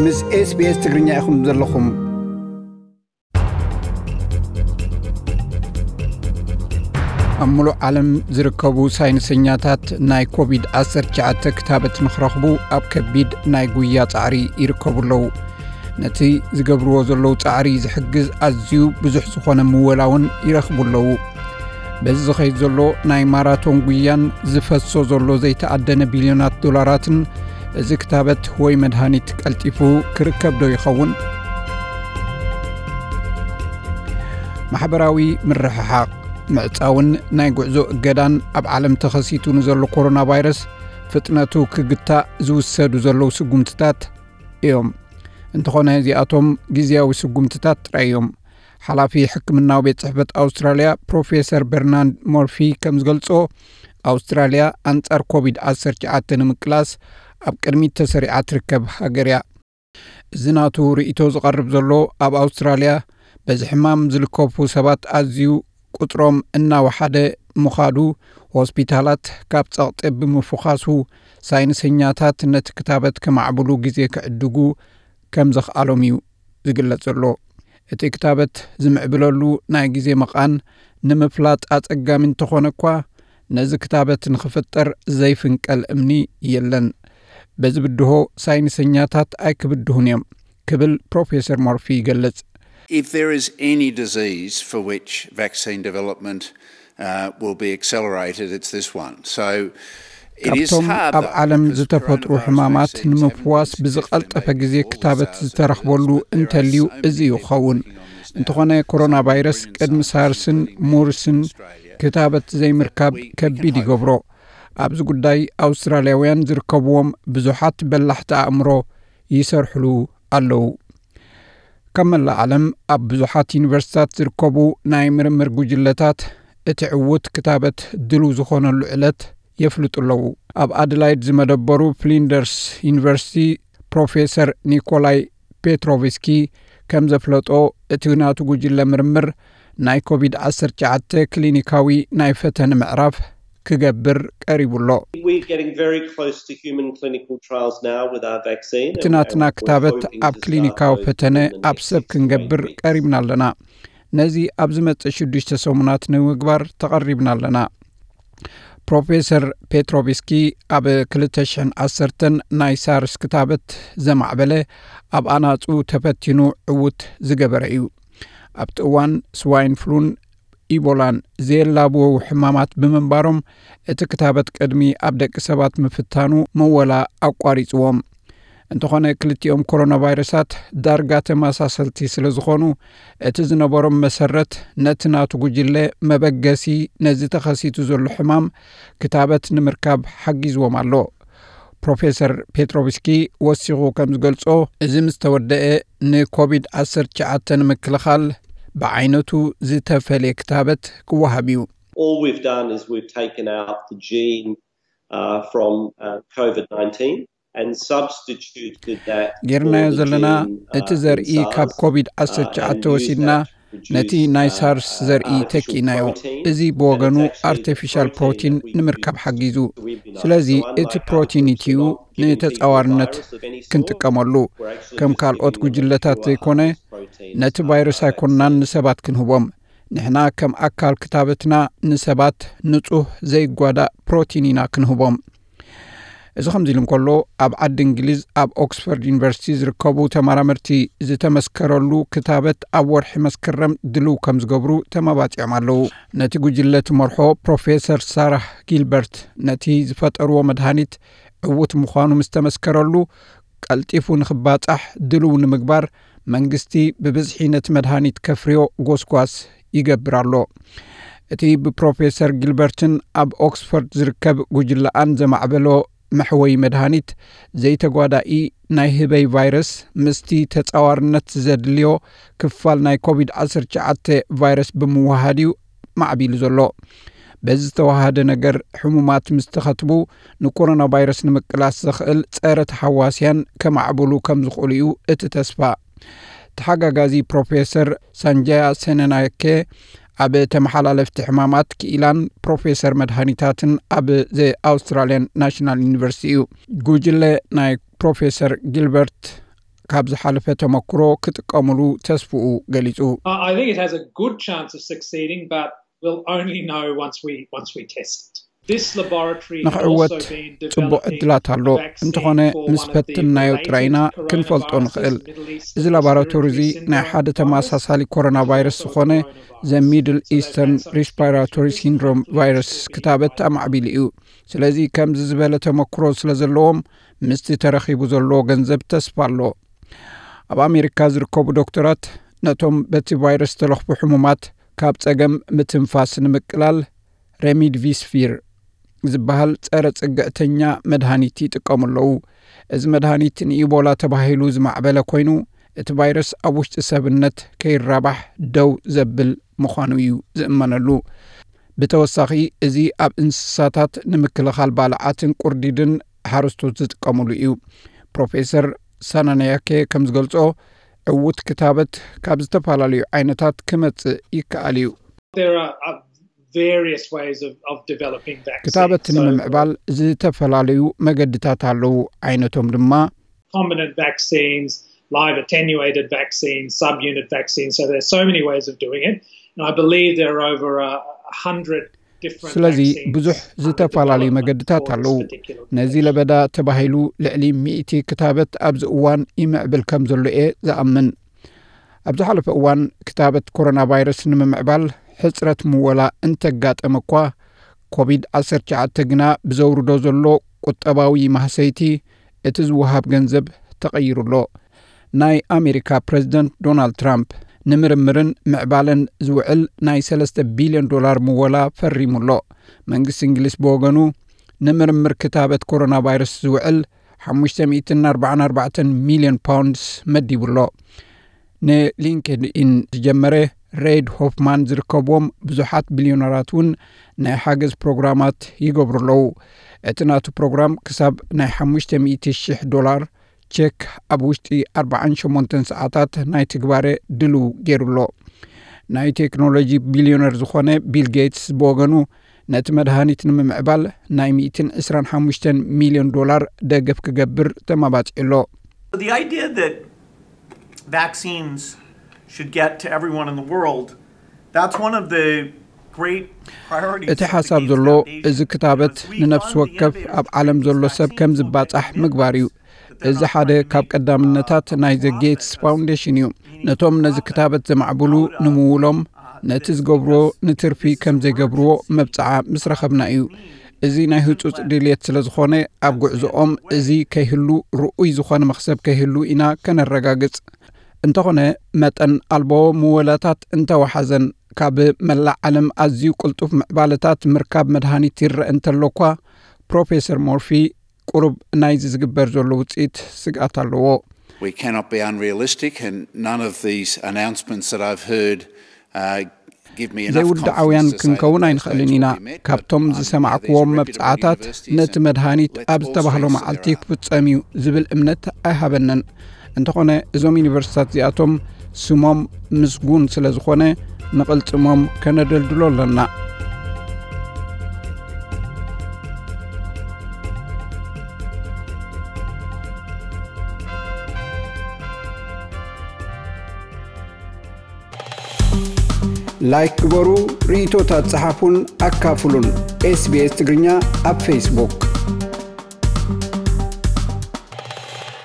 ምስ SBS ትግርኛ ኢኹም ዘለኹም። ኣብ ሙሉእ ዓለም ዝርከቡ ሳይንሰኛታት ናይ ኮቪድ ዓሰርተ ትሽዓተ ክታበት ንኽረኽቡ ኣብ ከቢድ ናይ ጉያ ጻዕሪ ይርከቡ ኣለዉ። ነቲ ዝገብርዎ ዘለዉ ጻዕሪ ዝሕግዝ ኣዝዩ ብዙሕ ዝኾነ ምወላ እውን ይረኽቡ ኣለዉ። በዚ ዝኸይድ ዘሎ ናይ ማራቶን ጉያን ዝፈሶ ዘሎ ዘይተኣደነ ቢልዮናት ዶላራትን፣ እዚ ክታበት ወይ መድሃኒት ቀልጢፉ ክርከብ ዶ ይኸውን? ማሕበራዊ ምርሕሓቕ፣ ምዕጻውን ናይ ጉዕዞ እገዳን ኣብ ዓለም ተኸሲቱ ንዘሎ ኮሮና ቫይረስ ፍጥነቱ ክግታእ ዝውሰዱ ዘለዉ ስጉምትታት እዮም። እንተኾነ እዚኣቶም ግዝያዊ ስጉምትታት ጥራይ እዮም። ሓላፊ ሕክምናዊ ቤት ጽሕፈት ኣውስትራልያ ፕሮፌሰር በርናንድ ሞርፊ ከም ዝገልጾ፣ ኣውስትራልያ ኣንጻር ኮቪድ ዓሰርተ ትሽዓተ ንምቅላስ ኣብ ቅድሚት ተሰሪዓ ትርከብ ሃገር እያ። እዚ ናቱ ርእይቶ ዝቐርብ ዘሎ ኣብ ኣውስትራልያ በዚ ሕማም ዝልከፉ ሰባት ኣዝዩ ቁጽሮም እናወሓደ ምዃዱ፣ ሆስፒታላት ካብ ጸቕጢ ብምፍዃሱ ሳይንሰኛታት ነቲ ክታበት ከማዕብሉ ግዜ ክዕድጉ ከም ዘኽኣሎም እዩ ዝግለጽ ዘሎ። እቲ ክታበት ዝምዕብለሉ ናይ ግዜ መቓን ንምፍላጥ ኣጸጋሚ እንተኾነ እኳ፣ ነዚ ክታበት ንኽፍጠር ዘይፍንቀል እምኒ የለን። በዚ ብድሆ ሳይንሰኛታት ኣይክብድሁን እዮም ክብል ፕሮፌሰር ሞርፊ ይገልጽ። If there is any disease for which vaccine development uh, will be accelerated, it's this one. So it is ካብቶም hard ኣብ though, ዓለም because ዝተፈጥሩ coronavirus ሕማማት vaccines have ንምፍዋስ been ብዝቐልጠፈ tested ግዜ for ክታበት thousands of ዝተረኽበሉ years. There are እንተልዩ so many እዚ እዩ people ክኸውን። working on this እንተኾነ now. ኮሮና ቫይረስ ቅድሚ ሳርስን ሙርስን ክታበት ዘይምርካብ ከቢድ ይገብሮ። ኣብዚ ጉዳይ ኣውስትራልያውያን ዝርከብዎም ብዙሓት በላሕቲ ኣእምሮ ይሰርሕሉ ኣለዉ። ካብ መላእ ዓለም ኣብ ብዙሓት ዩኒቨርሲታት ዝርከቡ ናይ ምርምር ጉጅለታት እቲ ዕዉት ክታበት ድሉው ዝኾነሉ ዕለት የፍልጡ ኣለዉ። ኣብ ኣደላይድ ዝመደበሩ ፍሊንደርስ ዩኒቨርሲቲ ፕሮፌሰር ኒኮላይ ፔትሮቭስኪ ከም ዘፍለጦ፣ እቲ ናቱ ጉጅለ ምርምር ናይ ኮቪድ ዓሰርተ ትሽዓተ ክሊኒካዊ ናይ ፈተነ ምዕራፍ ክገብር ቀሪቡ ኣሎ። We're getting very close to human clinical trials now with our vaccine. እቲ ናትና ክታበት ኣብ ክሊኒካዊ ፈተነ ኣብ ሰብ ክንገብር ቀሪብና ኣለና። ነዚ ኣብ ዝመጽእ ሽዱሽተ ሰሙናት ንምግባር ተቐሪብና ኣለና። ፕሮፌሰር ፔትሮቭስኪ ኣብ ክልተ ሽሕን ዓሰርተን ናይ ሳርስ ክታበት ዘማዕበለ፣ ኣብ ኣናጹ ተፈቲኑ ዕዉት ዝገበረ እዩ። ኣብቲ እዋን ስዋይን ፍሉን ኢቦላን ዘየላብወው ሕማማት ብምንባሮም፣ እቲ ክታበት ቅድሚ ኣብ ደቂ ሰባት ምፍታኑ መወላ ኣቋሪጽዎም። እንተኾነ ክልቲኦም ኮሮና ቫይረሳት ዳርጋ ተመሳሰልቲ ስለ ዝኾኑ፣ እቲ ዝነበሮም መሰረት ነቲ ናቱ ጉጅለ መበገሲ ነዚ ተኸሲቱ ዘሎ ሕማም ክታበት ንምርካብ ሓጊዝዎም ኣሎ። ፕሮፌሰር ፔትሮቭስኪ ወሲኹ ከም ዝገልጾ፣ እዚ ምስ ተወደአ ንኮቪድ ዓሰርተ ትሽዓተ ንምክልኻል ብዓይነቱ ዝተፈልየ ክታበት ክወሃብ እዩ። All we've done is we've taken out the gene uh, from uh, COVID nineteen and substituted that. ጌርናዮ ዘለና፣ እቲ ዘርኢ ካብ ኮቪድ ዓሰርተ ትሽዓተ ወሲድና ነቲ ናይ ሳርስ ዘርኢ ተኪእናዮ። እዚ ብወገኑ ኣርቲፊሻል ፕሮቲን ንምርካብ ሓጊዙ። ስለዚ እቲ ፕሮቲን ኢትዩ ንተጻዋርነት ክንጥቀመሉ፣ ከም ካልኦት ጉጅለታት ዘይኮነ፣ ነቲ ቫይረስ ኣይኮንናን ንሰባት ክንህቦም። ንሕና ከም ኣካል ክታበትና ንሰባት ንጹህ ዘይጓዳእ ፕሮቲን ኢና ክንህቦም። እዚ ከምዚ ኢሉ እንከሎ፣ ኣብ ዓዲ እንግሊዝ ኣብ ኦክስፎርድ ዩኒቨርሲቲ ዝርከቡ ተመራመርቲ ዝተመስከረሉ ክታበት ኣብ ወርሒ መስከረም ድልው ከም ዝገብሩ ተመባጺዖም ኣለዉ። ነቲ ጉጅለ ትመርሖ ፕሮፌሰር ሳራህ ጊልበርት፣ ነቲ ዝፈጠርዎ መድሃኒት ዕዉት ምዃኑ ምስ ተመስከረሉ፣ ቀልጢፉ ንኽባጻሕ ድልው ንምግባር መንግስቲ ብብዝሒ ነቲ መድሃኒት ከፍርዮ ጎስጓስ ይገብር ኣሎ። እቲ ብፕሮፌሰር ጊልበርትን ኣብ ኦክስፎርድ ዝርከብ ጉጅለኣን ዘማዕበሎ መሕወዪ መድሃኒት፣ ዘይተጓዳኢ ናይ ህበይ ቫይረስ ምስቲ ተጻዋርነት ዘድልዮ ክፋል ናይ ኮቪድ ዓሰርተ ትሽዓተ ቫይረስ ብምውሃድ እዩ ማዕቢሉ ዘሎ። በዚ ዝተዋሃደ ነገር ሕሙማት ምስ ተኸትቡ፣ ንኮሮና ቫይረስ ንምቅላስ ዘኽእል ጸረ ተሓዋስያን ከማዕብሉ ከም ዝኽእሉ እዩ እቲ ተስፋ። ተሓጋጋዚ ፕሮፌሰር ሳንጃያ ሴነናኬ ኣብ ተመሓላለፍቲ ሕማማት ክኢላን ፕሮፌሰር መድሃኒታትን ኣብ ዘ ኣውስትራልያን ናሽናል ዩኒቨርሲቲ እዩ። ጉጅለ ናይ ፕሮፌሰር ጊልበርት ካብ ዝሓለፈ ተመክሮ ክጥቀምሉ ተስፍኡ ገሊጹ። I think it has a good chance of succeeding, but we'll only know once we once we test it. This laboratory ንኽዕወት ጽቡቕ ዕድላት ኣሎ። እንተኾነ ምስ ፈትንናዮ ጥራይና ክንፈልጦ ንኽእል። እዚ ላቦራቶሪ እዚ ናይ ሓደ ተመሳሳሊ ኮሮና ቫይረስ ዝኾነ ዘ ሚድል ኢስተርን ሪስፓራቶሪ ሲንድሮም ቫይረስ ክታበት ኣማዕቢሉ እዩ። ስለዚ ከምዚ ዝበለ ተመክሮ ስለ ዘለዎም ምስቲ ተረኺቡ ዘሎ ገንዘብ ተስፋ ኣሎ። ኣብ ኣሜሪካ ዝርከቡ ዶክተራት ነቶም በቲ ቫይረስ ዝተለኽፉ ሕሙማት ካብ ጸገም ምትንፋስ ንምቅላል ሬሚድቪስፊር ዝበሃል ጸረ ጽግዕተኛ መድሃኒት ይጥቀሙ ኣለዉ። እዚ መድሃኒት ንኢቦላ ተባሂሉ ዝማዕበለ ኮይኑ እቲ ቫይረስ ኣብ ውሽጢ ሰብነት ከይራባሕ ደው ዘብል ምዃኑ እዩ ዝእመነሉ። ብተወሳኺ እዚ ኣብ እንስሳታት ንምክልኻል ባልዓትን ቁርዲድን ሓረስቶት ዝጥቀምሉ እዩ። ፕሮፌሰር ሳናንያኬ ከም ዝገልጾ ዕዉት ክታበት ካብ ዝተፈላለዩ ዓይነታት ክመጽእ ይከኣል እዩ። There are uh, various ways of, of developing vaccines. ክታበት So, ንምምዕባል ዝተፈላለዩ መገድታት ኣለዉ። ዓይነቶም ድማ recombinant vaccines, live attenuated vaccines, subunit vaccines. So there's so many ways of doing it. And I believe there are over a hundred different ስለዚ vaccines ብዙሕ under ዝተፈላለዩ development መገድታት for this ኣለዉ። particular ነዚ patient. ለበዳ ተባሂሉ ልዕሊ ሚእቲ ክታበት ኣብዚ እዋን ይምዕብል ከም ዘሎ እየ ዝኣምን። ኣብ ዝሓለፈ እዋን ክታበት ኮሮና ቫይረስ ንምምዕባል ሕጽረት ምወላ እንተጋጠመ እኳ ኮቪድ ዓሰርተ ትሽዓተ ግና ብዘውርዶ ዘሎ ቁጠባዊ ማህሰይቲ እቲ ዝወሃብ ገንዘብ ተቐይሩ ኣሎ። ናይ ኣሜሪካ ፕሬዝደንት ዶናልድ ትራምፕ ንምርምርን ምዕባለን ዝውዕል ናይ ሰለስተ ቢልዮን ዶላር ምወላ ፈሪሙ ኣሎ። መንግስቲ እንግሊዝ ብወገኑ ንምርምር ክታበት ኮሮና ቫይረስ ዝውዕል ሓሙሽተ ሚእትን ኣርባዓን ኣርባዕተን ሚልዮን ፓውንድስ መዲቡ ኣሎ። ንሊንክድኢን ዝጀመረ ሬድ ሆፍማን ዝርከብዎም ብዙሓት ቢልዮነራት እውን ናይ ሓገዝ ፕሮግራማት ይገብሩ ኣለዉ። እቲ ናቱ ፕሮግራም ክሳብ ናይ ሓሙሽተ ሚእቲ ሽሕ ዶላር ቸክ ኣብ ውሽጢ ኣርባዓን ሸሞንተን ሰዓታት ናይ ትግባረ ድልው ገይሩ ኣሎ። ናይ ቴክኖሎጂ ቢልዮነር ዝኾነ ቢል ጌትስ ብወገኑ ነቲ መድሃኒት ንምምዕባል ናይ ሚእትን ዕስራን ሓሙሽተን ሚልዮን ዶላር ደገፍ ክገብር ተመባጺዑ ኣሎ። The idea that vaccines should get to everyone in the world, that's one of the great priorities እቲ ሓሳብ ዘሎ እዚ ክታበት ንነፍሲ ወከፍ ኣብ ዓለም ዘሎ ሰብ ከም ዝባጻሕ ምግባር እዩ። እዚ ሓደ ካብ ቀዳምነታት ናይ ዘ ጌትስ ፋውንዴሽን እዩ። ነቶም ነዚ ክታበት ዘማዕብሉ ንምውሎም ነቲ ዝገብርዎ ንትርፊ ከም ዘይገብርዎ መብጽዓ ምስ ረኸብና እዩ። እዚ ናይ ህጹጽ ድልየት ስለ ዝኾነ ኣብ ጉዕዞኦም እዚ ከይህሉ ርኡይ ዝኾነ መኽሰብ ከይህሉ ኢና ከነረጋግጽ። እንተኾነ መጠን ኣልቦ ምወላታት እንተወሓዘን ካብ መላእ ዓለም ኣዝዩ ቅልጡፍ ምዕባለታት ምርካብ መድሃኒት ይረአ እንተሎ እኳ ፕሮፌሰር ሞርፊ ቁሩብ ናይዚ ዝግበር ዘሎ ውፅኢት ስግኣት ኣለዎ። We cannot be unrealistic, and none of these announcements that I've heard uh, give me enough ዘይውድዓውያን confidence to say ክንከውን that those ኣይንኽእልን dates ኢና። will be met. ካብቶም I'm now ዝሰማዕክዎም these መብፅዓታት reputable universities ነቲ and መድሃኒት let ኣብ all ዝተባህሎ strengths መዓልቲ their ክፍፀም እዩ ዝብል እምነት ኣይሃበንን። እንተኾነ እዞም ዩኒቨርሲታት እዚኣቶም ስሞም ምስጉን ስለ ዝኾነ ንቕልጽሞም ከነደልድሎ ኣለና። ላይክ ግበሩ፣ ርእይቶታት ጸሓፉን ኣካፍሉን። ኤስቢኤስ ትግርኛ ኣብ ፌስቡክ።